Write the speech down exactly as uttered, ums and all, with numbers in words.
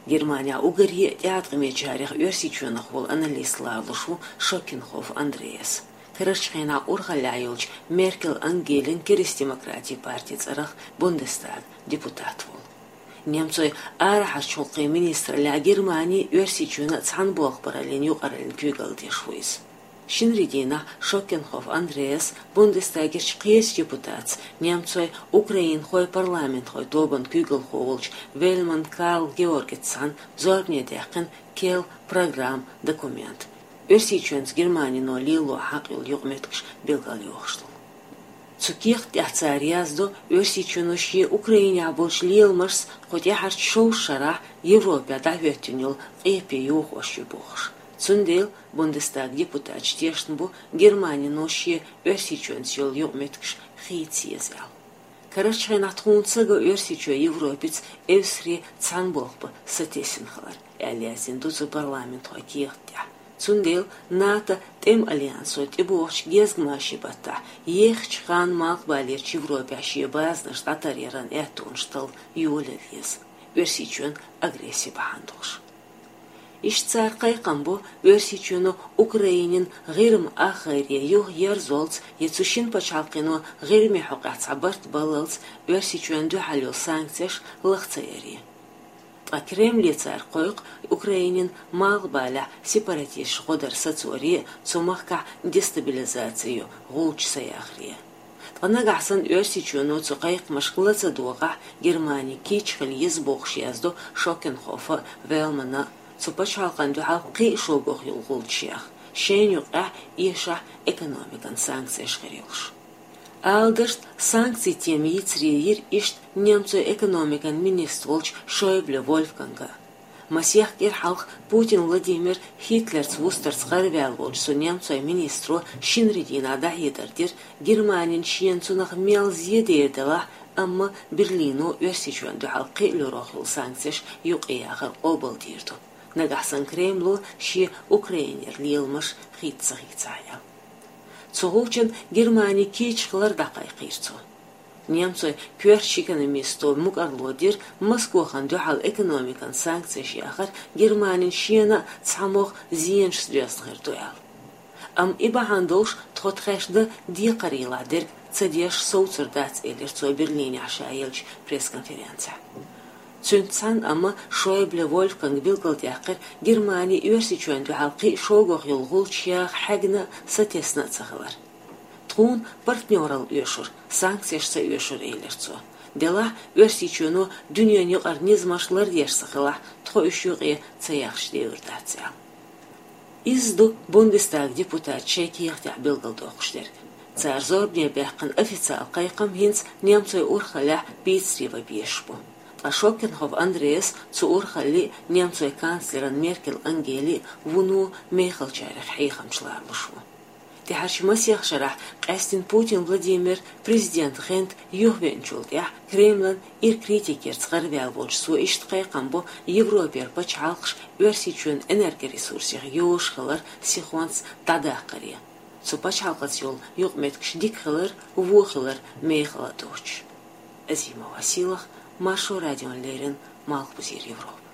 Германехь уггаре а тӀеӀаткъамечарех Оьрсийчоьнах волу аналист лоруш ву Шокенхоф Андреас. Карарчу хенахь урхаллехь йолчу Меркел Ангелин Керстдемократийн партин цӀарах Бундестаган депутат волу. Немцойн арахьарчу гӀуллакхийн министраллехь Германи а, Оьрсийчоьнан а цхьаьна болх бараллин юкъараллин куьйгалла деш ву иза. Шинарин дийнахь Шокенхоф Андреас Бундестагерчу кхечу депутатца, немцойн-украинхойн парламентхойн тобанан куьйгалхо волчу Вельман Карл Георгица цхьаьна зорбане даьккхина Кел программа документ, Оьрсийчоьнца Германино лело хьакъ йолу юкъаметтигаш билгалйохуш долу. Цу кехат тӀехь цара яздо, Оьрсийчоьно шен Украинехь болчу леламашца кху тӀаьхьарчу шовзткъа шарахь Европехь дӀахӀоьттина йолу къепе йохош ю бохуш. Цундела Бундестаган депутаташ тешна бу, Германино шен Оьрсийчоьнца йолу юкъаметтигаш хийца еза аьлла. Карарчу хенахь тхуна ца го Оьрсийчоь Европаца эвсаре цхьаьна болх бан сатесна хилар, аьлла яздина ду цу парламентхойн кехат тӀехь. Цундела НАТО тӀеман альянсо тӀебогӀучу гезгмашин баттахь еххачу ханна Малхбалерчу Европехь шен базанаш дӀатаръяран аьттонаш талла йолаялла еза, Оьрсийчоьнан агресси бахьана долуш. Иштта цара кхайкхам бо Оьрсийчоьно Украинин ГӀирма ахгӀайре юха ерзалц я цу шина пачхьалкхо ГӀирмин хьокъехь цхьа барт баллалц Оьрсийчоьнна дуьхьал йолу санкцеш лаха ца яре. Ткъа Кремле цара кхойкху Украинин малхбалехь сепаратисташ гӀо дар сацоре а, цу махкахь дестабилизаци йо гӀулч са яхаре а. Ткъа нагахь санна Оьрсийчоьно цу кхайкхамашка ла ца догӀахь, Германи кийча хила еза бохуш яздо Шокенхофа а, Вельмана а, цу пачхьалкхана дуьхьал кхин а шоггӀа йолу гӀулчаш яха, шайна юкъахь эшахь экономикан санкцеш хир йолуш. Ала дашна, санкцийн тема йийцаре йира иштта немцойн экономикан министр волчу Шойбле Вольфганга. Масех кӀира хьалха Путин Владимир Гитлерца вустарца гӀарваьлла волчу цу немцойн министро шинарин дийнахь дӀахьедар дира, Германина шена цунах мел зен дер делахь, амма Берлино Оьрсийчоьнна дуьхьал кхин а луьрах йолу санкцеш юкъаяхар къобалдийр ду, нагахь санна Кремло шен Украинера леламаш хийца ца хийцахь аьлла. Цу гӀулчана Германи кийча хилар дӀакхайкхийра цо. Немцойн коьртачу экономисто мукӀарло дира Москохана дуьхьал экономикан санкцеш яхар Германина шена а цхьамогӀа зенашца доьзна хир ду аьлла. Амма и бахьана долуш тхо тхаьш дан декхарийлахь дерг ца деш совцур дац, элира цо Берлинехь ша еллачу пресс-конференцехь. Цуьнца цхьаьна амма Шойбле Вольфганга билгалдаьккхира, Германи Оьрсийчоьнна дуьхьал кхин а шоггӀа йолу гӀулчаш яха хьегна а, сатесна а ца хилар. Тхуна партнёралла оьшура, санкцеш ца оьшура, элира цо. Делахь, Оьрсийчоьно дуьненан юкъара низамаш лардеш ца хилахь, тхо уьш юкъе ца яхча девр дац аьлла. Иза ду Бундестаган депутаташа шайн кехатехь билгалдоккхуш дерг. Цара зорбане баьккхина официалан кхайкхам хӀинца немцойн урхаллехь пицаре ван безаш бу. Ткъа Шокенхоф Андреас цу урхалле а, немцойн канцлеран Меркел Ангели а вуно мехалчарех хьехамча ларалуш ву. ТӀаьхьарчу масех шарахь къаьстина Путин Владимир президент гӀанта юхавеанчул тӀаьхьа Кремлан ира критикерца гӀарваьлла волчу цо иштта кхайкхам бо Европера пачхьалкхаш Оьрсийчоьнан энергоресурсех йозуш хилар сихонца дӀадаккхаре, цу пачхьалкхаца йолу юкъаметтигаш дика хилар, вон хилар мехала доцуш. Азимова Силах, Маршо радиона леррина, Малхбузера Европа.